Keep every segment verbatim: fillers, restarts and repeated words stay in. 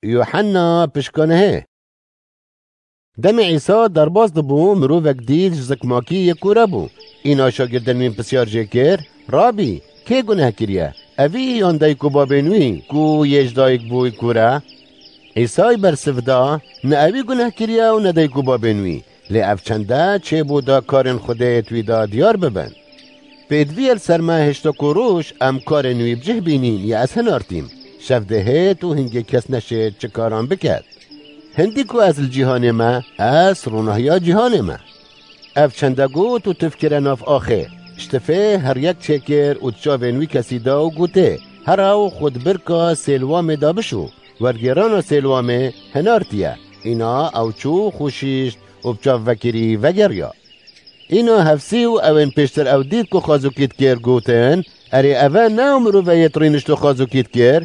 Yuhanna pişkanehê. Demê Îsa derbas dibû, mirovek dît ji zikmakî yê kûre bû. Îna şagirdên wî pisyar jê kir, Rabî, kê guneh kiriye? Evî yan dayik û babên wî ku yê ji dayik bûy kûre? Îsay bersiv da, Ne ewî guneh kiriye û ne dayik û babên wî. Lê ev çende çêbû da karên Xwedê di wî de diyar bibin. Pêdivî ye li ser me hêşta ku roj em karên wî bi cih bînîn ya ez hinartîm. Şev dihêt û hingê kes neşêt çi karan biket. Hindî ku ez li cîhanê me, ez ronahiya cîhanê me. Ev çende got û tif kire nav axê. Ji tifê her yek çêkir û di çavên wî kesî da û gotê, Here û xwe di birka Sêlwamê de bişû. Wergêrana Sêlwamê hinartiye. Îna ew çû xwe şîşt û bi çav vekirî vegeriya. Îna hefsî û ewên pêştir ew dît ku xazûkî dikir, gotin, Erê, eve ne ew mirove yê di rînişt û xazûkî dikir?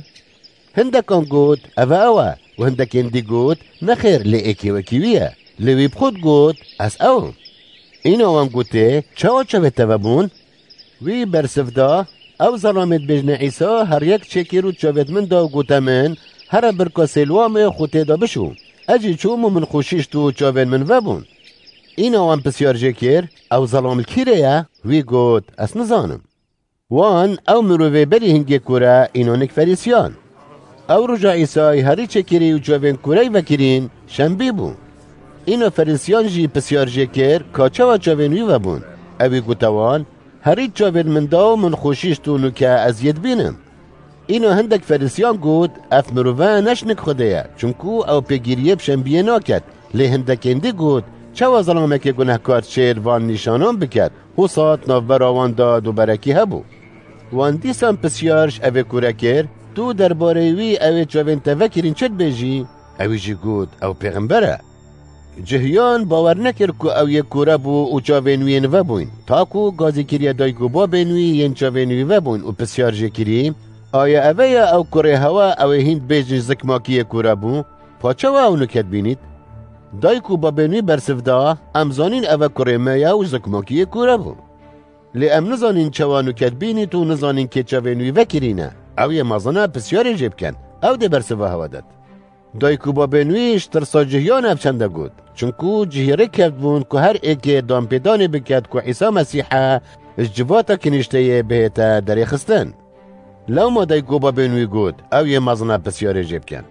Hindekan got, Eve ew e. Û hindekên dî got, Nexêr, lê êkê wekî wî ye. Lê wî bi xwe digot, Ez ew im. Îna wan gotê, Çawa çavê te vebûn? Wî bersiv da, Ew zelamê dibêjne Îsa her yek çêkir û çavêt min da û gote min, Here birka Sêlwamê xwe tê de bişû. Ez jî çûm û min xwe şîşt û çavên min vebûn. Îna wan pisyar jê kir, Ew zelam li kîrê ye? Wî got, Ez nizanim. Wan ew mirovê berî hingê kûre înonik Ferîsiyan. Ew roja Îsay herî çêkirî û çavên kûrey vekirîn şembî bû. Îna Ferîsiyan jî pisyar jê kir ka çawa çavên wî vebûn. Ewî gote wan, Herî çavên min da û min xwe şîşt û nûke ez yê dibînim. Îna hindek Ferîsiyan got, Ev mirove ne ji nik Xwedê ye, çunku ew pêgîriyê bi şembiyê naket. Lê hindekên dî got, Çawa zelamekê gunehkar çêl van nîşanan biket? Hosa di navbera wan de duberekî hebû. Wan dîsan pisyar ji evê kûre kir, Tu derbarê wî ewê çavên te vekirîn çi dibêjî? Ewî jî got, Ew pêxember e. Cihiyan bawer nekir ku ew yê kûre bû û çavên wî yên vebûyn, ta ku gazî kiriye dayik û babên wî yên çavên wî vebûyn û pisyar jê kirî, Aya eve ye ew kurê hewa ewê hîn dibêjin ji zikmakî yê kûre bû? Pa çawa ew nûke dibînît? Dayik û babên wî bersiv da, Em zanîn eve kurê me ye û ji zikmakî yê kûre bû. Lê em nizanîn çawa nûke dibînît û nizanîn kê çavên wî vekirîne. Ew yê mezin e, pisyarê jê bikin. Ew dê bersiva hewa det. Dayik û babên wî ji tirsa cihiyan ev çende got. Çunku cihî rê kevtibûn ku her êkê danpêdanê biket ku Îsa Mesîh e, ji civata kinîşteyê bihête derêxistin. Lewma dayik û babên wî got, Ew yê mezin e, pisyarê jê bikin.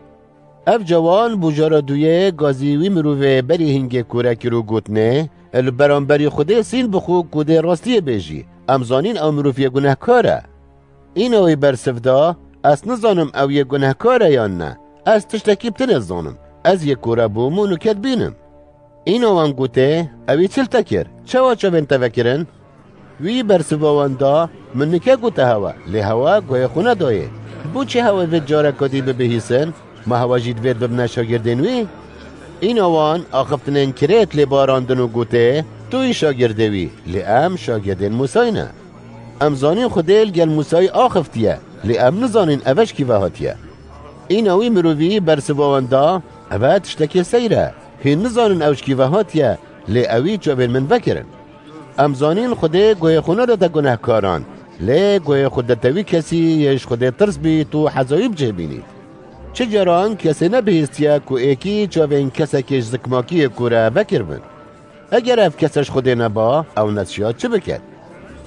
Ev cawan bûjara duyê gazî wî mirovê berî hingê kûre kir û gotinê, Li beramberî Xwedê sîn bixwe ku dê rastiyê bêjî. Em zanîn ew mirov yê gunehkar e. Îna wî bersiv da, Ez nizanim ew yê gunehkar e yan ne. Ez tiştekî bi tinê dizanim. Ez yê kûre bûm û nûke dibînim. Îna wan gotê, Ewî çi li te kir? Çawa çavên te vekirin? Wî bersiva wan da, Min nûke gote hewa, lê hewa guhê xwe nedayê. Bo çi hewa vê careka dî bibihîsin? Ma hewa jî divêt bibine şagirdên wî? Îna wan axiftinên Kirêt lê barandin û gotê, Tu yî şagirdê wî, lê em şagirdên Mûsayî ne. Em zanîn Xwedê li gel Mûsayî axiftiye, lê em nizanîn eve ji kî ve hatiye. Îna wî mirovî bersiva wan da, Eve tiştekê seyr e. Hîn nizanin ew ji kî ve hatiye, lê ewî çavên min vekirin. Em zanîn Xwedê guhê xwe nedate gunehkaran, lê guhê xwe dete wî kesî yê ji Xwedê tirs bît û heza wî bi cih bînît. Çi caran kesê nebihîstiye ku êkî çavên kesekê ji zikmakiyê kûre vekiribin. Eger ev kese ji Xwedê neba, ew nesiya çi biket?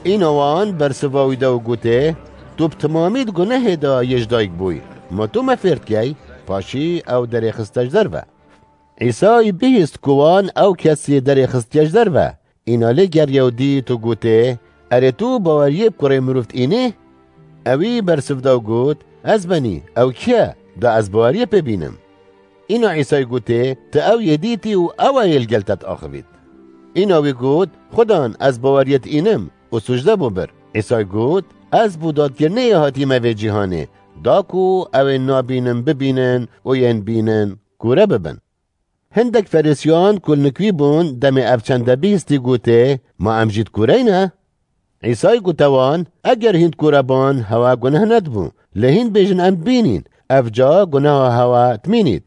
Îna wan bersiva wî da û gotê, Tu bi timamî di gunehê de yê ji dayik bûyî. Ma tu me fêr dikey? Paşî ew derê xiste ji derve. Îsay bihîst ku wan ew kes yê derê xistiye ji derve. Îna lê geriya û dît û gotê, Erê tu baweriyê bi kurê mirov diînî? Ewî bersiv da û got, Ez benî, ew kî ye, da ez baweriyê pê bînim? Îna Îsay gotê, Tu ew yê dîtî û ew e yê li gel te diaxivît. Îna wî got, Xudan, ez baweriyê diînim û sûcde bo bir. Îsay got, Ez bo dadkirinê yê hatîme vê cîhanê, da ku ew ên nabînin bibînin û yên bînin kûre bibin. Hindek Ferîsiyan ku li nik wî bûn, demê ev çende bihîstî gotê, Ma em jî dikûreyne? Îsay gote wan, Eger hîn dikûreban, hewa guneh nedibû. Lê hîn bêjin em dibînîn, ev ca guneha hewa dimînît.